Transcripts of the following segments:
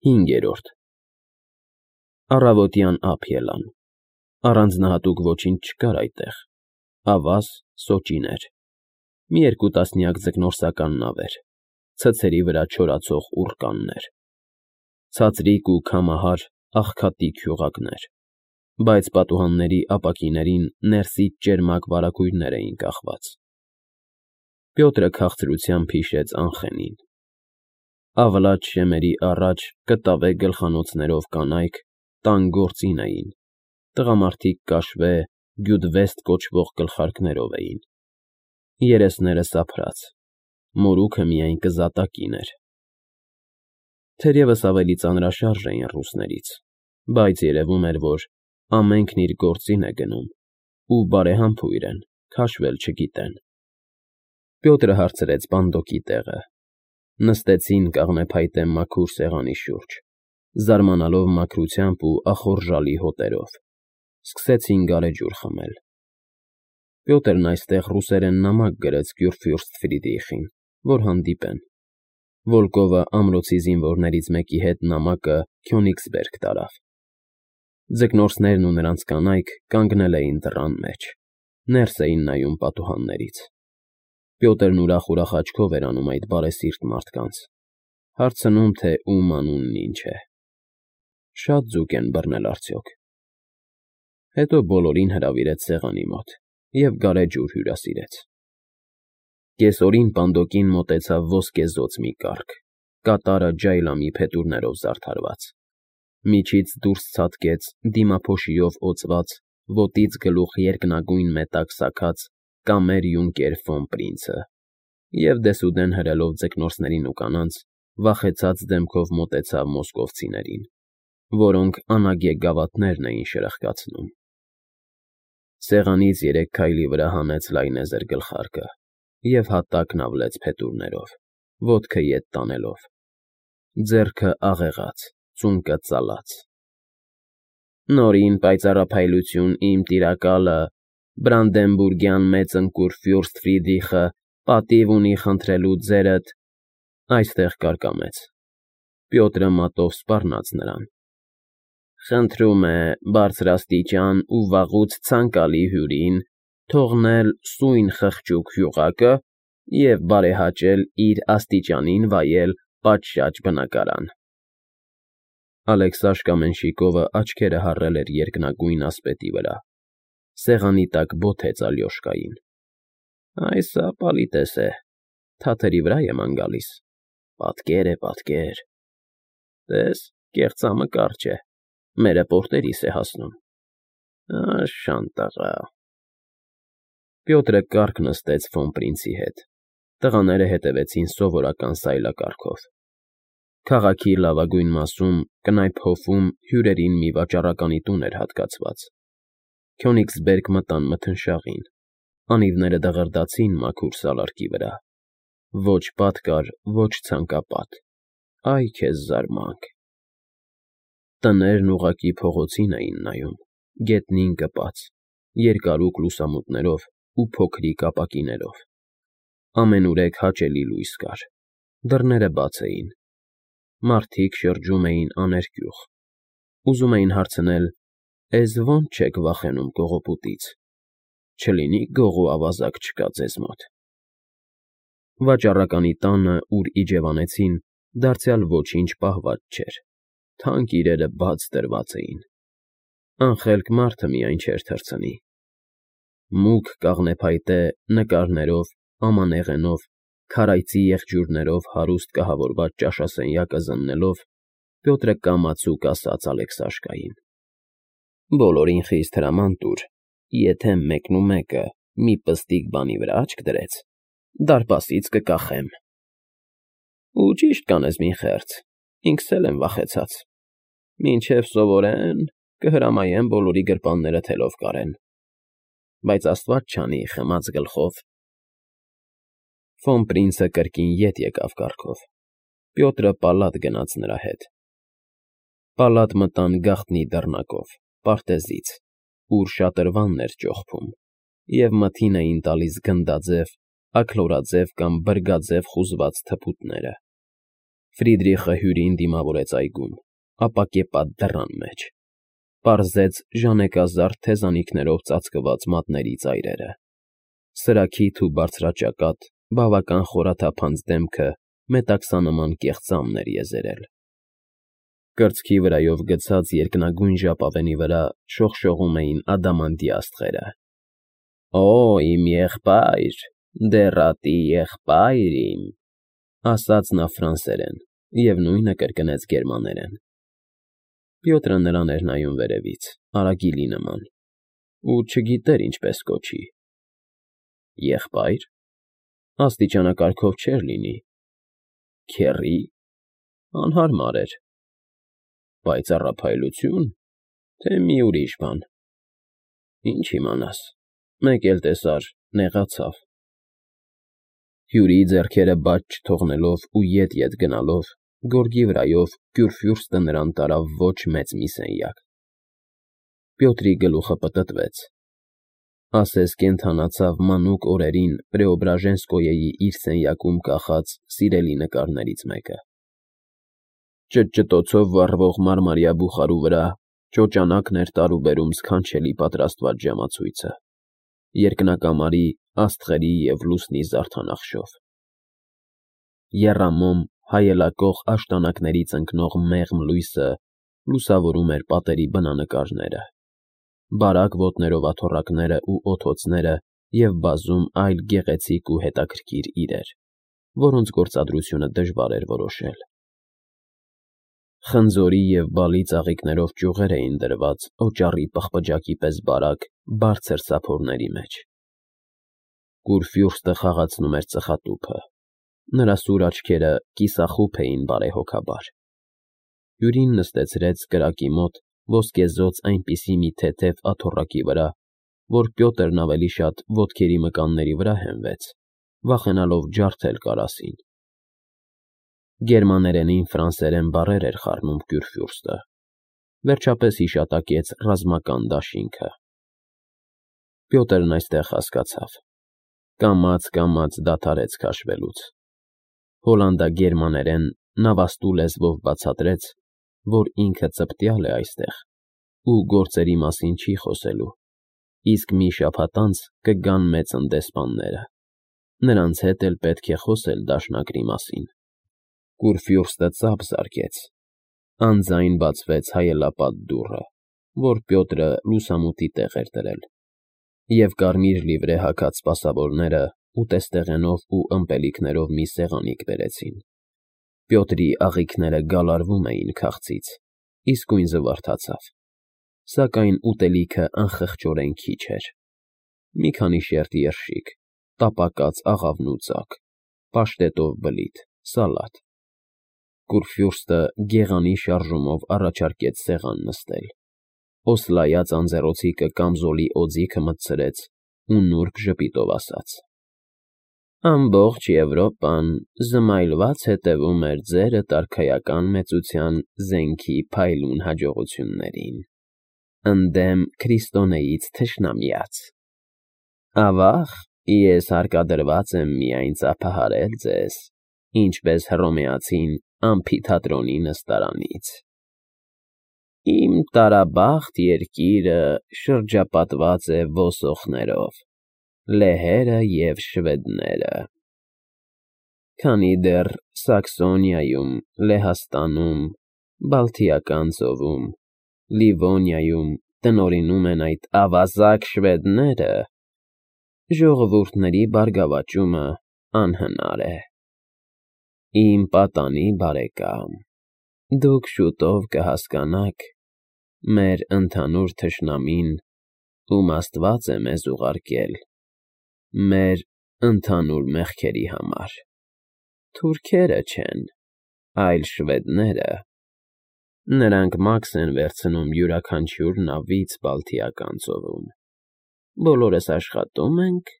5. Առավոտյան ափ ելան, առանձնահատուկ ոչինչ չկար այդտեղ, ավազ, սոճիներ, մի երկու տասնյակ ձկնորսական նավեր, ցցերի վրա չորացող ուռկաններ, ցածրիկ ու քամահար աղքատիկ հյուղակներ, բայց պատուհանների ապակիներին ներսից ճերմակ վարագույրներ էին կախված։ Պյոտրը քաղցրությամբ հիշեց Անխենին։ Ավլաջ շեմերի առաջ կտավե գլխանոցներով կանայք տան գործին էին, տղամարդիկ կաշվե, գյուդվեստ կոչվող գլխարկներով էին, երեսները սափրած, մորուքը միայն կզատակին էր։ Թերևս ավելի ծանրաշարժ էին ռուսներից, բայց երևում էր, որ ամենքն իր գործին է գնում ու բարեհամբույր են, քաշվել չգիտեն։ Պյոտրը հարցրեց բանդոկի տեղը։ Նստեցին կաղնեփայտե մաքուր սեղանի շուրջ, զարմանալով մաքրությամբ ու ախորժալի հոտերով, սկսեցին գարեջուր խմել։ Պյոտրն այստեղ ռուսերեն նամակ գրեց Կյուրֆյուրստ Ֆրիդրիխին, որ հանդիպեն։ Վոլկովը ամրոցի զինվորներից մեկի հետ նամակը Քյոնիգսբերգ տարավ։ Ձկնորսներն ու նրանց կանայք կանգնել էին դռան մեջ, ներս էին նայում պատուհաններից։ Պյոտրն ուրախ աչքով էր անում այդ բարեսիրտ մարդկանց, հարցնում, թե ում անունն ինչ է։ Շատ ձուկ են բռնել արդյոք։ Հետո բոլորին հրավիրեց սեղանի մոտ և գարեջուր հյուրասիրեց։ Կեսօրին պանդոկին մոտեցավ ոսկեզօծ մի կառք, կատարը ջայլամի փետուրներով զարդարված։ Միջից դուրս ցատկեց դիմափոշիով օծված, ոտից գլուխ երկնագույն մետակ սաքած կամեր յունկեր ֆոն Պրինցը և դեսուդեն հրելով ձկնորսներին ու կանանց, վախեցած դեմքով մոտեցավ մոսկովցիներին, որոնք անագե գավաթներն էին շրխկացնում։ Սեղանից 3 քայլի վրա հանեց լայնեզր գլխարկը և հատակն ավլեց փետուրներով, ոտքը ետ տանելով, ձեռքը աղեղած, ծունկը ծալած։ Նորին պայծառափայլություն իմ տիրակալը, Բրանդենբուրգյան մեծ ընկուր Ֆյուրստ Ֆրիդրիխը պատիվ ունի խնդրելու ձերդ, այստեղ կարկամեց։ Պյոտրը մատով սպառնաց նրան։ Խնդրում է բարձրաստիճան ու վաղուց ցանկալի հյուրին թողնել սույն խղճուկ հյուղակը և բարեհաճել իր աստիճանին վայել պատշաճ բնակարան։ Ալեքսաշկա Մենշիկովը աչքերը հառել էր երկնագույն ասպետի վրա, սեղանի տակ բոթեց Ալյոշկային։ Այս պալիտես է, թաթերի վրա եմ գալիս, պատկեր է, պատկեր։ Տես, կեղծամը կարճ է, մերը պորտերիս է հասնում։ Շանտաղա։ Պյոտրը կառք նստեց ֆոն Պրինցի հետ, տղաները հետևեցին սովորական սայլակառքով։ Քաղաքի լավագույն մասում, կնայփ հովում հյուրերին մի վաճառականի տուն էր հատկացված։ Քյոնիգսբերգ մտան մթնշաղին, անիվները դղրդացին մաքուր սալարկի վրա։ Ոչ պատ կար, ոչ ցանկապատ, այ քեզ զարմանք։ Տներն ուղղակի փողոցին էին նայում, գետնին կպած, երկարուկ լուսամուտներով ու փոքրիկ ապակիներով։ Ամենուրեք հաճելի լույս կար, դռները բաց էին։ Մարդիկ շրջում էին աներկյուղ, ուզում էին հարցնել. «Էս ո՞նց չեք վախենում կողոպուտից, չլինի գող ու ավազակ չկա ձեզ մոտ»։ Վաճառականի տանը, ուր իջևանեցին, դարձյալ ոչինչ պահված չէր, թանկ իրերը բաց դրված էին։ Անխելք մարդը միայն չէր թռցնի։ Մուգ կաղնեփայտե նկարներով, ամանեղենով, քարայծի եղջյուրներով հարուստ կահավորված ճաշասենյակը զննելով, Պյոտրը կամացուկ ասաց Ալեքսաշկային. Բոլորին խիստ հրաման տուր, եթե մեկնումեկը մի պստիկ բանի վրա աչք դրեց, դարպասից կկախեմ։ Ու ճիշտ կանես մի խեղճ, ինքս էլ եմ վախեցած։ Մինչև սովորեն, կհրամայեմ բոլորի գրպանները թելով կարեն։ Բայց Աստված չանի խմած գլխով։ Ֆոն Պրինցը կրկին ետ եկավ կառքով։ Պյոտրը պալատ գնաց նրա հետ։ Պալատ մտան գաղտնի դռնակով, պարտեզից, ուր շատրվանն էր ճոխփում, և մթին էին տալիս գնդաձև, աքլորաձև կամ բրգաձև խուզված թփուտները։ Ֆրիդրիխը հյուրին դիմավորեց այգում, ապա կեպաց դռան մեջ, պարզեց ժանեկազարդ թեզանիքներով ծածկված մատների ծայրերը, սրաքիթ ու բարձրաճակատ, բավական խորաթափանց դեմքը մետաքսանման կեղծամն էր եզերել։ Կրծքի վրայով գցած երկնագույն ժապավենի վրա շողշողում էին ադամանդյա աստղերը։ «Օ, իմ եղբայր, դեռատի եղբայր իմ», ասաց նա ֆրանսերեն և նույնը կրկնեց գերմաներեն։ Պյոտրը նրան էր նայում վերևից, արագիլի նման, ու չգիտեր ինչպես կոչի։ Եղբայր, աստիճանակարգով չէր լինի։ Քեռի, անհարմար էր։ Պայծառափայլությո՞ւն, թե մի ուրիշ բան։ Ինչ իմանաս, մեկ էլ տեսար, նեղացավ։ Հյուրի ձեռքերը բաց չթողնելով ու ետ գնալով, գորգի վրայով Կյուրֆյուրստը նրան տարավ ոչ մեծ մի սենյակ։ Պյոտրի գլուխը պտտվեց, ասես կենդանացավ մանուկ օրերին Պրեոբրաժենսկոյեի իր սենյակում կախած սիրելի նկարներից մեկը։ Ճտճտոցով վառվող մարմարյա բուխարու վրա ճոճանակն էր տարուբերում սքանչելի պատրաստված ժամացույցը, երկնակամարի, աստղերի և լուսնի զարդանախշով։ Եռամոմ հայելակող աշտանակներից ընկնող մեղմ լույսը լուսավորում էր պատերի բնանկարները, բարակ ոտներով աթոռակները ու օդոցները և բազում այլ գեղեցիկ ու հետաքրքիր իրեր, որոնց գործադրությունը դժվար էր որոշել։ Խնձորի և բալի ծաղիկներով ճյուղեր էին դրված օճառի պղպջակի պես բարակ, բարձր սափորների մեջ։ Կուրֆյուրստը խաղացնում էր ծխատուփը, նրա սուր աչքերը կիսախուփ էին բարեհոգաբար։ Հյուրին նստեցրեց կրակի մոտ ոսկեզօծ այնպիսի մի թեթև աթոռակի վրա, որ Պյոտրն ավելի շատ ոտքերի մկանների վրա հենվեց, վախենալով ջարդել կարասին։ Գերմաներենին ֆրանսերեն բառեր էր խառնում Կյուրֆյուրստը, վերջապես հիշատակեց ռազմական դաշինքը։ Պյոտրն այստեղ հասկացավ, կամաց դադարեց քաշվելուց։ Հոլանդագերմաներեն նավաստու լեզվով բացատրեց, որ ինքը ծպտյալ է այստեղ ու գործերի մասին չի խոսելու, իսկ մի շաբաթ անց կգան մեծնդեսպանները, նրանց հետ էլ պետք է խոսել դաշնակրի մասին։ Կուրֆյուրստը ծափ զարկեց, անձայն բացվեց հայելապատ դուռը, որ Պյոտրը լուսամուտի տեղ էր դրել, և կարմիր լիվրե հագած սպասավորները ուտեստեղենով ու ըմպելիքներով մի սեղանիկ բերեցին։ Պյոտրի աղիքները գալարվում էին քաղցից, իսկույն զվարթացավ, սակայն ուտելիքը անխղճորեն քիչ էր։ Մի քանի շերտ երշիկ, տապակած աղավնու ծակ, պաշտետով բլիթ, սալատ։ Կուրֆյուրստը գեղանի շարժումով առաջարկեց սեղան նստել, օսլայած անձեռոցիկը կամզոլի օձիքը մտցրեց ու նուրբ ժպիտով ասաց. «Ամբողջ Եվրոպան զմայլված հետևում էր ձերդ արքայական մեծության զենքի փայլուն հաջողություններին, ընդդեմ քրիստոնեից թշնամյաց։ Ավաղ, ես հարկադրված եմ միայն ծափահարել ձեզ, ինչպես հռոմեացին ամֆիթատրոնի նստարանից։ Իմ տարաբախտ երկիրը շրջապատված է ոսոխներով, լեհերը և շվեդները։ Քանի դեռ Սաքսոնիայում, Լեհաստանում, Բալթիական ծովում, Լիվոնիայում տնօրինում են այդ ավազակ շվեդները, ժողովուրդների բարգավաճումը անհնար է։ Իմ պատանի բարեկամ, դուք շուտով կհասկանաք մեր ընդհանուր թշնամին, ում Աստված է մեզ ուղարկել, մեր ընդհանուր մեղքերի համար։ Թուրքերը չեն, այլ շվեդները։ Նրանք մաքս են վերցնում յուրաքանչյուր նավից Բալթիական ծովում։ Բոլորս աշխատում ենք,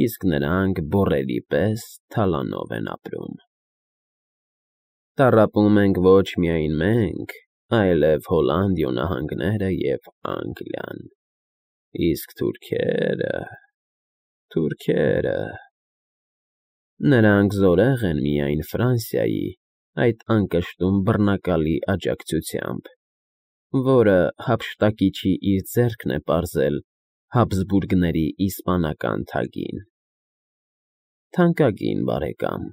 իսկ նրանք բոռերի պես թալանով են ապրում։ Տառապում ենք ոչ միայն մենք, այլև Հոլանդիո նահանգները և Անգլիան, իսկ թուրքերը… Նրանք զորեղ են միայն Ֆրանսիայի այդ անկշտում բռնակալի աջակցությամբ, որը հափշտակիչի իր ձեռքն է պարզել Հաբսբուրգների իսպանական թագին։ Թանկագին բարեկամ,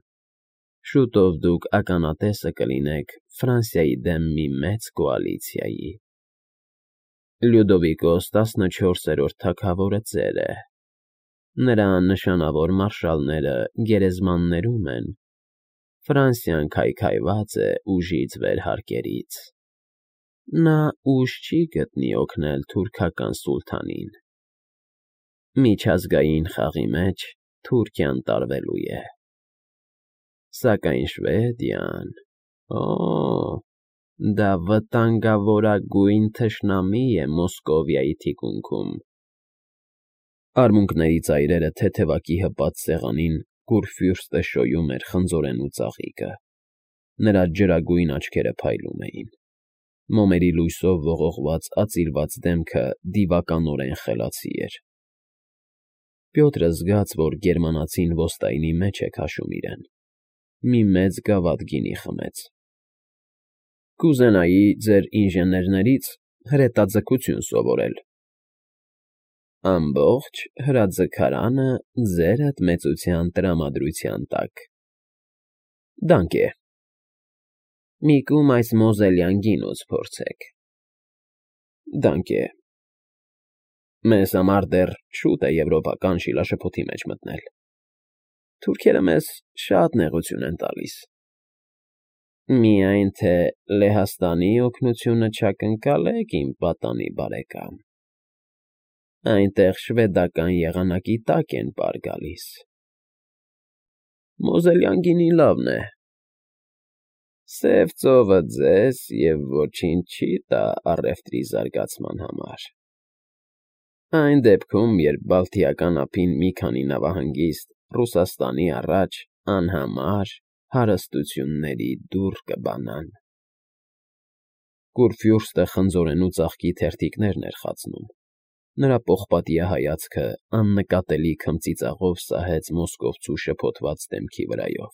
շուտով դուք ականատեսը կլինեք Ֆրանսիայի դեմ մի մեծ կոալիցիայի։ Լյուդովիկոս 14-րդ թագավորը ծեր է։ Նրա նշանավոր մարշալները գերեզմաններում են։ Ֆրանսիան քայքայված է ուժից վերհարկերից։ Նա ուժ չի գտնի օգնել թուրքական սուլթանին։ Միջազգային խաղի մեջ Թուրքիան տարվելու է։ Սակայն Շվեդիան… դա վտանգավորագույն թշնամի է Մոսկովիայի թիկունքում։ Արմունկների ծայրերը թեթևակի հպած սեղանին Կուրֆյուրստը շոյում էր խնձորենու ծաղիկը։ Նրա ջրագույն աչքերը փայլում էին։ Մոմերի լույսով ողողված ածիլված դեմքը դիվականորեն խելացի էր։ Պյոտրը զգաց, որ գերմանացին ոստայնի մեջ է քաշում իրեն։ Մի մեծ գավաթ գինի խմեց։ Կուզենայի ձեր ինժեներներից հրետաձգություն սովորել։ Ամբողջ հրաձգարանը ձերդ մեծության տրամադրության տակ։ Դանք է։ Մի կում այս մոզելյան գինուց փորձեք։ Դանք է։ Մեզ համար դեռ շուտ է եվրոպական շիլաշփոթի մեջ մտնել։ Թուրքերը մեզ շատ նեղություն են տալիս։ Միայն թե Լեհաստանի օգնությունը չակնկալեք, իմ պատանի բարեկամ։ Այնտեղ շվեդական եղանակի տակ են պար գալիս։ Մոզելյան գինին լավն է։ Սև ծովը ձեզ և ոչինչ չի տա առևտրի զարգացման համար։ Այն դեպքում, երբ Բալթիական ափին մի քանի նավահանգիստ Ռուսաստանի առաջ անհամար հարստությունների դուռ կբանան։ Կուրֆյուրստը խնձորենու ծաղկի թերթիկներն էր խացնում։ Նրա պողպատյա հայացքը աննկատելի քմծիծաղով սահեց մոսկովցու շփոթված դեմքի վրայով։